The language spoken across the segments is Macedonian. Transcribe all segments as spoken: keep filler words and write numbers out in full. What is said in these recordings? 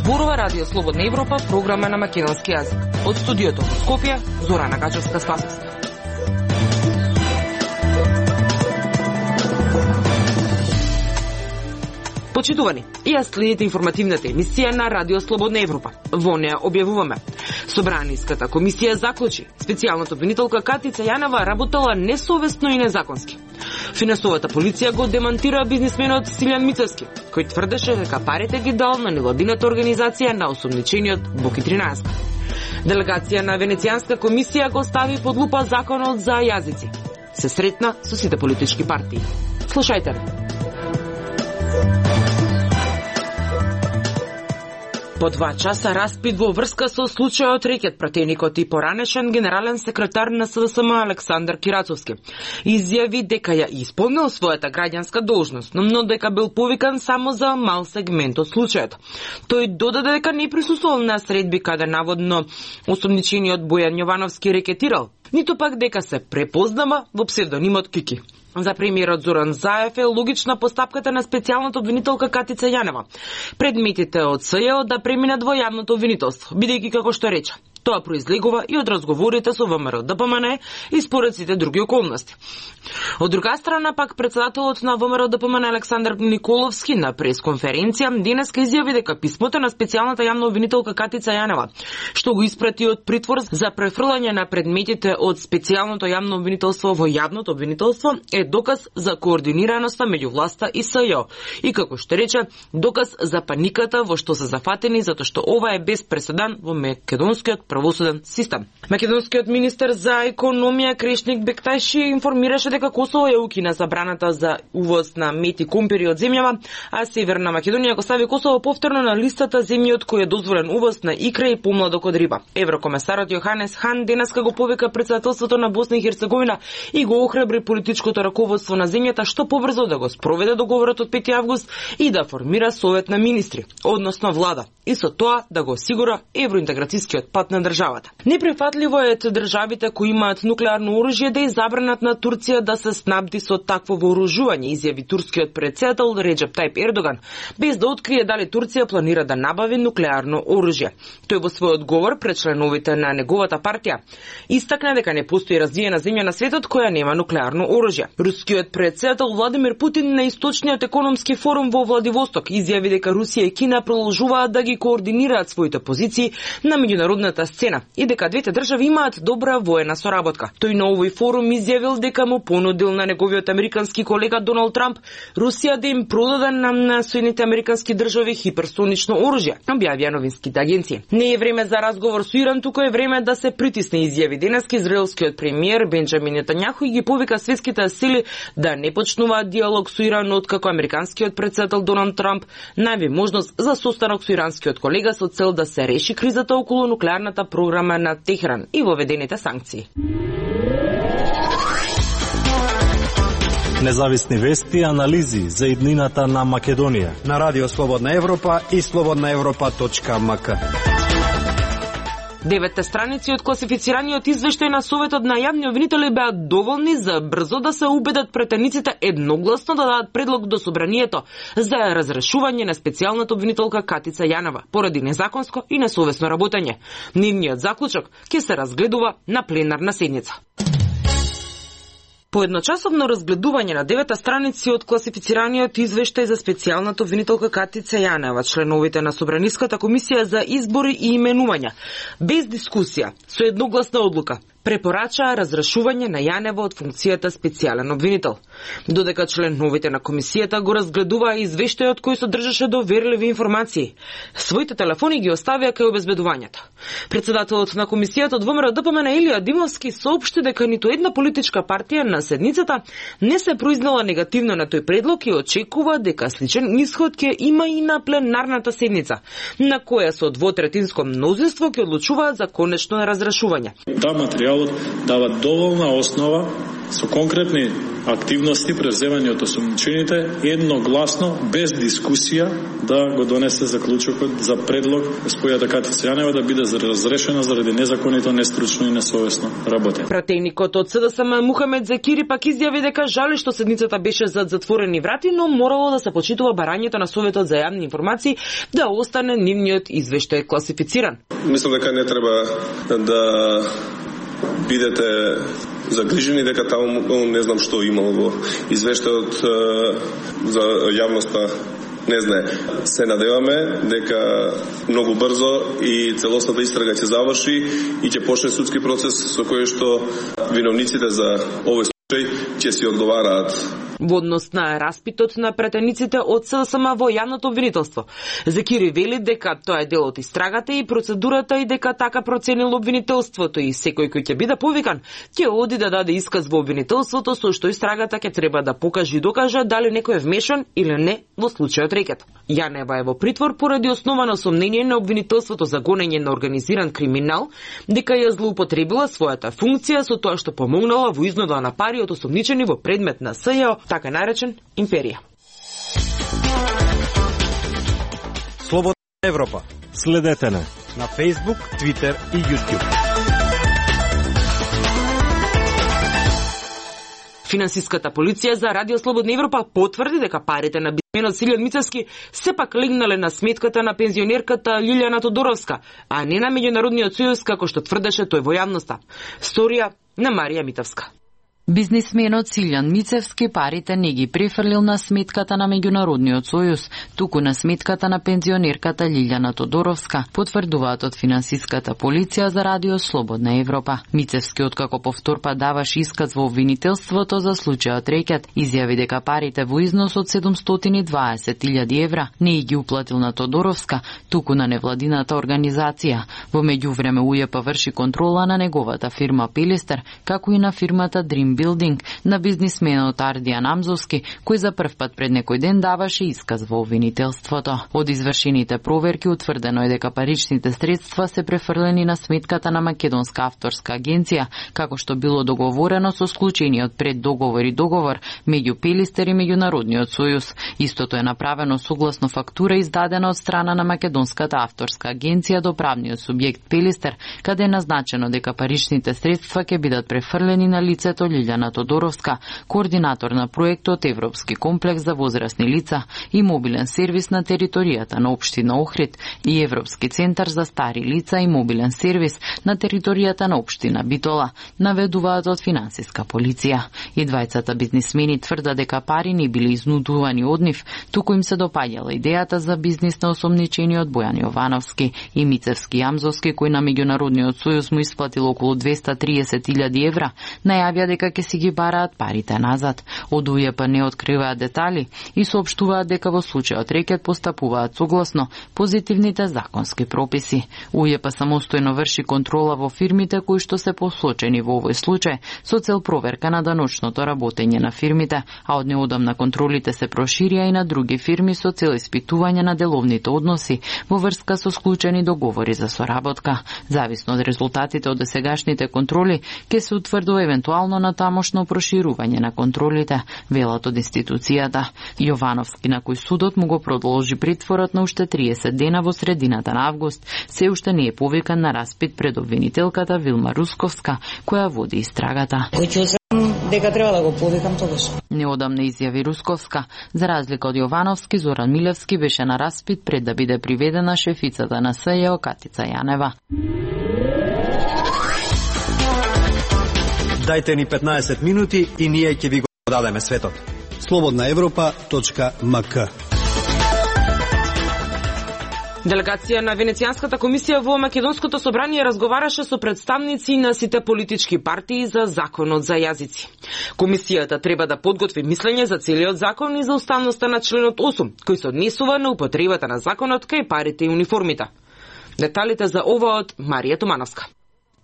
Зборува Радио Слободна Европа, програма на македонски јазик. Од студиото во Скопје, Зорана Гачевска-Спасовска. Почитувани, ја следите информативната емисија на Радио Слободна Европа. Во неа објавуваме: Собраниската комисија заклучи специјалната обвинителка Катица Јанева работела несовесно и незаконски. Финансовата полиција го демантира бизнисменот Силјан Мицевски, кој тврдеше дека парите ги дал на невладината организација на осомничениот Боки тринаесет. Делегација на Венецијанска комисија го стави под лупа законот за јазици. Се сретна со сите политички партии. Слушајте. По два часа распит во врска со случајот рекет пратеникот и поранешен генерален секретар на С В С М Александар Кирацовски изјави дека ја исполнил својата граѓанска должност, но дека бил повикан само за мал сегмент од случајот. Тој додаде дека не присуствувал на средби каде наводно осомничениот Бојан Јовановски рекетирал, ниту пак дека се препознава во псевдонимот Кики. За премиерот Зоран Заев е логична постапката на специјалната обвинителка Катица Јанева. Предметите од С Ј да преминат во јавното обвинителство, бидејќи како што рече, тоа произлегува и од разговорите со В М Р Д П М Н и според сите други околности. Од друга страна пак председателот на В М Р Д П М Н Александар Николовски на пресконференција денеска изјави дека писмото на специјалната јавна обвинителка Катица Јанева, што го испрати од притвор за префрлање на предметите од специјалното јавно обвинителство во јавното обвинителство, е доказ за координираноста меѓу власта и С Ј и, како што рече, доказ за паниката во што се зафатени затоа што ова е без преседан во македонскиот правосуден систем. Македонскиот министер за економија Крешник Бекташи информираше дека Косово ја укина забраната за увоз на мед и компири од земјава, а Северна Македонија го стави Косово повторно на листата земји од кој е дозволен увоз на икра и помладок од риба. Еврокомесарот Јоханес Хан денеска го повика председателството на Босна и Херцеговина и го охрабри политичкото раководство на земјата што побрзо да го спроведе договорот од пети август и да формира совет на министри, односно влада, и со тоа да го осигура евроинтеграцијскиот пат на државата. Неприфатливо е државите кои имаат нуклеарно оружје да забранат на Турција да се снабди со такво вооружување, изјави турскиот претседател Реджеп Тајп Ердоган, без да открие дали Турција планира да набави нуклеарно оружје. Тој во свој одговор пред членовите на неговата партија истакна дека не постои развиена земја на светот која нема нуклеарно оружје. Рускиот претседател Владимир Путин на источниот економски форум во Владивосток изјави дека Русија и Кина продолжуваат да ги координираат своите позиции на меѓународната сцена и дека двете држави имаат добра воена соработка. Тој на овој форум изјавил дека му понудил на неговиот американски колега Доналд Трамп Русија да им продаде на Соединените американски држави хиперсонично оружје, објавија новинските агенции. Не е време за разговор со Иран, туку е време да се притисне, изјави денеска израелскиот премиер Бенџамин Нетањаху и ги повика светските сили да не почнуваат диалог со Иран откако американскиот претседател Доналд Трамп најави можност за состанок со иранскиот колега со цел да се реши кризата околу нуклеарната програма на Техран и воведените санкции. Независни вести и анализи за иднината на Македонија на Радио Слободна Европа и слободна европа точка м к. Деветте страници од класифицираниот извештај на Советот на јавни обвинители беа доволни за брзо да се убедат претениците едногласно да дадат предлог до собранието за разрешување на специјалната обвинителка Катица Јанева поради незаконско и несовесно работење. Нивниот заклучок ќе се разгледува на пленарна седница. По едночасовно разгледување на девета страници од класифицираниот извештај за специјалната обвинителка Катица Јанева, членовите на Собраниската комисија за избори и именувања, без дискусија, со едногласна одлука, препорачаа разрешување на Јанева од функцијата специјален обвинител. Додека членовите на комисијата го разгледуваа извештајот кој содржаше доверливи информации, своите телефони ги оставија кај обезбедувањето. Председателот на комисијата од В М Р Д П М Н Илија Димовски соопшти дека ниту една политичка партија на седницата не се произнела негативно на тој предлог и очекува дека сличен исход ќе има и на пленарната седница, на која со двотретинско мнозинство ќе одлучуваат за конечно разрешување. Та материјалот дава доволна основа со конкретни активности превземани од осумничените едногласно, без дискусија, да го донесе заклучокот за предлог госпојата Катица Јанева да биде разрешена заради незаконито, нестручно и несовесно работење. Пратеникот од СДСМ Мухамед Закири пак изјави дека жали што седницата беше зад затворени врати, но морало да се почитува барањето на Советот за јавни информации да остане нивниот извештај класифициран. Мислам дека не треба да бидете загрижени дека таму не знам што имало во извештајот за јавноста. Не знае. Се надеваме дека многу брзо и целосната истрага ќе заврши и ќе почне судски процес со кој што виновниците за овој случај ќе си одговараат. Во однос на распитот на пратениците од СДСМ во јавното обвинителство, Закири вели дека тоа е дел од истрагата и процедурата и дека така проценило обвинителството и секој кој ќе биде повикан ќе оди да даде исказ во обвинителството со што истрагата ќе треба да покаже и докаже дали некој е вмешан или не во случајот рекет. Јанева е во притвор поради основано сомнение на обвинителството за гонење на организиран криминал, дека ја злоупотребила својата функција со тоа што помогнала во изнуда на пари од осомничени во предмет на СЈО, така наречен империја. Слободна Европа. Следете не на Facebook, Twitter и YouTube. Финансиската полиција за Радио Слободна Европа потврди дека парите на бизнисменот Силјан Мицевски сепак легнале на сметката на пензионерката Лилјана Тодоровска, а не на Меѓународниот сојуз како што тврдеше тој во јавноста. Сторија на Марија Митевска. Бизнисменот Силјан Мицевски парите не ги префрлил на сметката на Меѓународниот сојуз, туку на сметката на пензионерката Лилјана Тодоровска, потврдуваат од финансиската полиција за Радио Слободна Европа. Мицевски, откако повторпат даваш исказ во обвинителството за случајот рекет, изјави дека парите во износ од седумстотини и дваесет илјади евра не ги уплатил на Тодоровска, туку на невладината организација. Во меѓувреме УЈП врши контрола на неговата фирма Пилистер, како и на фирмата Dream Building на бизнисменот Ардијан Амзовски, кој за прв пат пред некој ден даваше исказ во обвинителството. Од извршените проверки утврдено е дека паричните средства се префрлени на сметката на Македонска авторска агенција, како што било договорено со склучениот преддоговор и договор меѓу Пилистер и Меѓународниот сојуз. Истото е направено согласно фактура издадена од страна на Македонската авторска агенција до правниот субјект Пилистер, каде е назначено дека паричните средства ќе бидат префрлени на лицето Лилјана Тодоровска, координатор на проектот Европски комплекс за возрастни лица и мобилен сервис на територијата на општина Охрид и Европски центар за стари лица и мобилен сервис на територијата на општина Битола, наведуваат од финансиска полиција. И двајцата бизнисмени тврда дека пари не били изнудувани од нив, туку им се допаѓала идејата за бизнис на осомничениот Бојан Јовановски и Мицевски Јамзовски, кој на Меѓународниот сојуз му исплатил околу двеста триесет илјади евра, најавија дека ќе си ги бараат парите назад. Од УЈП не откриваат детали и соопштуваат дека во случајот рекет постапуваат согласно позитивните законски прописи. УЈП самостојно врши контрола во фирмите кои што се посочени во овој случај со цел проверка на даночното работење на фирмите, а од неодамна контролите се проширија и на други фирми со цел испитување на деловните односи во врска со склучени договори за соработка. Зависно од резултатите од досегашните контроли ќе се утврдува евентуално на тамошно проширување на контролите, велат од институцијата. Јовановски, на кој судот му го продолжи притворот на уште триесет дена во средината на август, се уште не е повикан на распит пред обвинителката Вилма Русковска, која води истрагата. Дека треба да го повикам тогаш. Неодамна изјави Русковска, за разлика од Јовановски, Зоран Милевски беше на распит пред да биде приведена шефицата на СЈО Катица Јанева. Дајте ни петнаесет минути и ние ќе ви го дадеме светот. слободна европа точка ем ка. Делегација на Венецијанската комисија во Македонското собрание разговараше со представници на сите политички партии за законот за јазици. Комисијата треба да подготви мислење за целиот закон и за уставноста на членот осум, кој се однесува на употребата на законот кај парите и униформите. Деталите за ова од Марија Тумановска.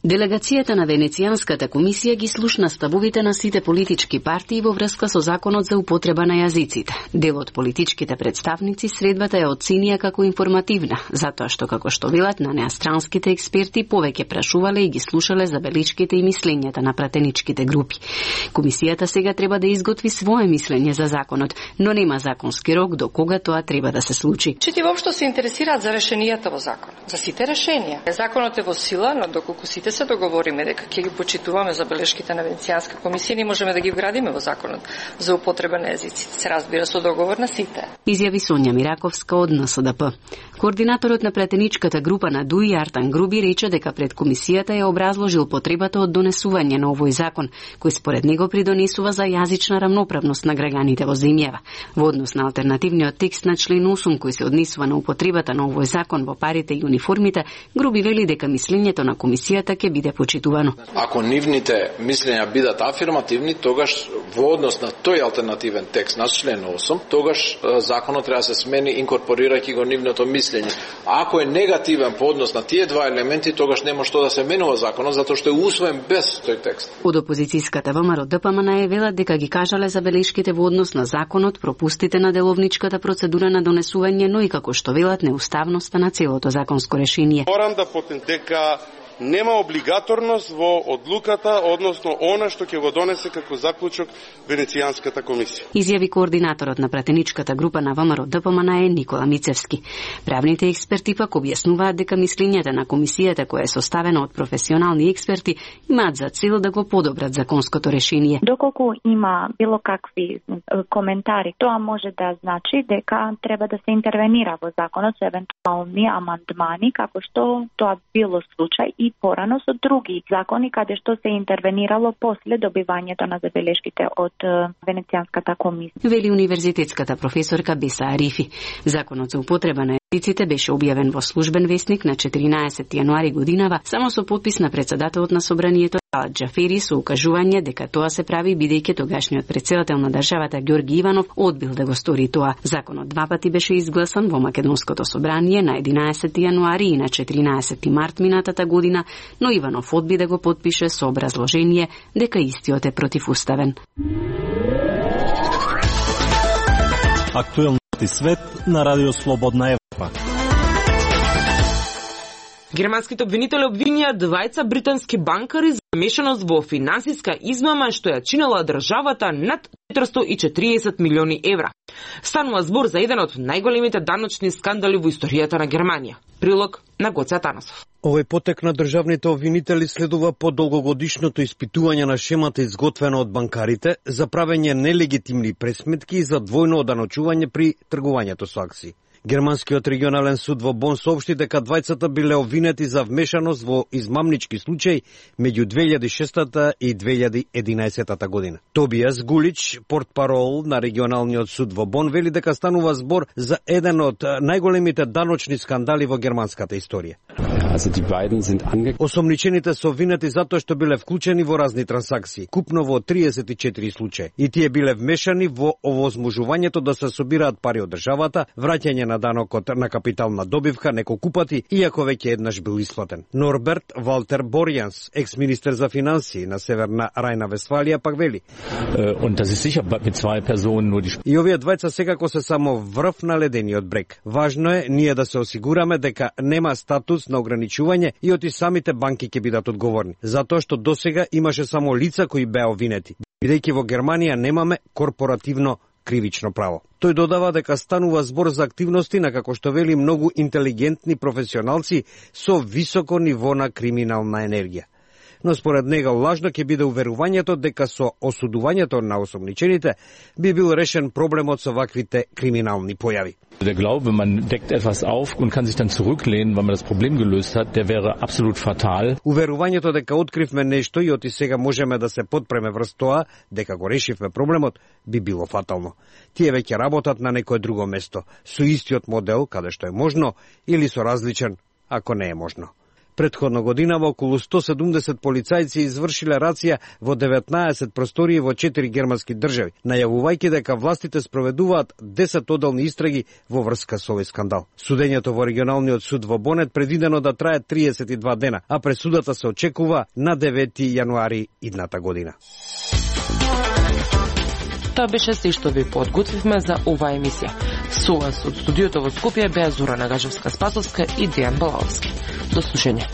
Делегацијата на Венецијанската комисија ги слушна ставовите на сите политички партии во врска со законот за употреба на јазиците. Дел од политичките представници средбата ја оценија како информативна, затоа што како што велат на неа странските експерти повеќе прашувале и ги слушале забелишките и мислењата на пратеничките групи. Комисијата сега треба да изготви свое мислење за законот, но нема законски рок до кога тоа треба да се случи. Чити воопшто се интересираат за решенијата во закон, за сите решенија. Законот е во сила, но доколку сите се договориме дека ќе ги почитуваме забелешките на Венецијанска комисија, не можеме да ги вградиме во законот за употреба на езиците. Се разбира со договор на сите. Изјави Сонја Мираковска од Н С Д П. Координаторот на пратеничката група на ДУИ Артан Груби рече дека пред комисијата ја образложил потребата од донесување на овој закон, кој според него придонесува за јазична рамноправност на граѓаните во земјава. Во однос на алтернативниот текст на член осум кој се однесува на употребата на овој закон во парите и униформите, Груби вели дека мислењето на комисијата ќе биде почитувано. Ако нивните мислења бидат афирмативни, тогаш во однос на тој алтернативен текст на член осум, тогаш законот треба да се смени инкорпорирајќи го нивното мислење. Ако е негативен по однос на тие два елементи, тогаш нема што да се менува законот, затоа што е усвоен без тој текст. Од опозицијската ВМРО Д П М Н е велат дека ги кажале забелешките во однос на законот, пропустите на деловничката процедура на донесување, но и како што велат неуставноста на целото законско решение. Морам да потен дека нема облигаторност во одлуката, односно она што ќе го донесе како заклучок Венецијанската комисија. Изјави координаторот на пратеничката група на ВМРО Д П М Н е Никола Мицевски. Правните експерти пак објаснуваат дека мислењата на комисијата, која е составена од професионални експерти, имаат за цел да го подобрат законското решение. Доколку има било какви коментари, тоа може да значи дека треба да се интервенира во законот со евентуални амандмани, како што тоа било случај и порано со други закони каде што се интервенирало после добивањето на забелешките од Венецијанската комисија. Вели универзитетската професорка Беса Арифи. Законот за употреба на езиците беше објавен во службен весник на четиринаесети јануари годинава само со подпис на претседателот на собранието Алат Џафери со укажување дека тоа се прави бидејќи тогашниот претседател на државата Ѓорги Иванов одбил да го стори тоа. Законот два пати беше изгласан во Македонското собрание на единаесети јануари и на четиринаесети март минатата година, но Иванов одби да го потпише со образложение дека истиот е противуставен. Актуелности свет на Радио Слободна Европа. Германските обвинители обвинија двајца британски банкари за замешаност во финансиска измама што ја чинела државата над четиристо и четириесет милиони евра. Станува збор за еден од најголемите даночни скандали во историјата на Германија. Прилог на Гоце Атанасов. Овој потек на државните обвинители следува по долгогодишното испитување на шемата изготвена од банкарите за правење нелегитимни пресметки и за двојно оданочување при тргувањето со акции. Германскиот регионален суд во Бон соопшти дека двајцата биле обвинети за вмешаност во измамнички случаи меѓу две илјади и шеста и две илјади и единаесета година. Тобијас Гулич, портпарол на регионалниот суд во Бон, вели дека станува збор за еден од најголемите даночни скандали во германската историја. Осомничените се обвинети затоа што биле вклучени во разни трансакции, купно во триесет и четири случаи, и тие биле вмешани во овозможувањето да се собираат пари од државата, враќање на данокот на капитална добивка неколку пати, иако веќе еднаш бил исплатен. Норберт Валтер Борјанс, екс-министер за финансии на Северна Рајна-Вестфалија, пак вели: И овие двајца секако се само врв на ледениот брег. Важно е ние да се осигураме дека нема статус на ограничување и оти самите банки ќе бидат одговорни, затоа што досега имаше само лица кои беа обвинети, бидејќи во Германија немаме корпоративно кривично право. Тој додава дека станува збор за активности на, како што вели, многу интелигентни професионалци со високо ниво на криминална енергија. Но според него лажно ќе биде уверувањето дека со осудувањето на осомничените би бил решен проблемот со ваквите криминални појави. Der Glaube, man deckt etwas auf und kann sich dann zurücklehnen, weil man das Problem gelöst hat, der wäre absolut fatal. Уверувањето дека откривме нешто и оти сега можеме да се подпреме врз тоа дека го решивме проблемот би било фатално. Тие веќе работат на некое друго место, со истиот модел, каде што е можно, или со различен, ако не е можно. Претходна година во околу сто седумдесет полицајци извршиле рација во деветнаесет простории во четири германски држави, најавувајќи дека властите спроведуваат десет одделни истраги во врска со овој скандал. Судењето во регионалниот суд во Бонет предвидено да трае триесет и два дена, а пресудата се очекува на девети јануари идната година. Тоа беше се што ви подготвивме за оваа емисија. Со вас од студиото во Скопје беа Зора Нагажевска-Спасовска и Дејан Балаовски. До слушање.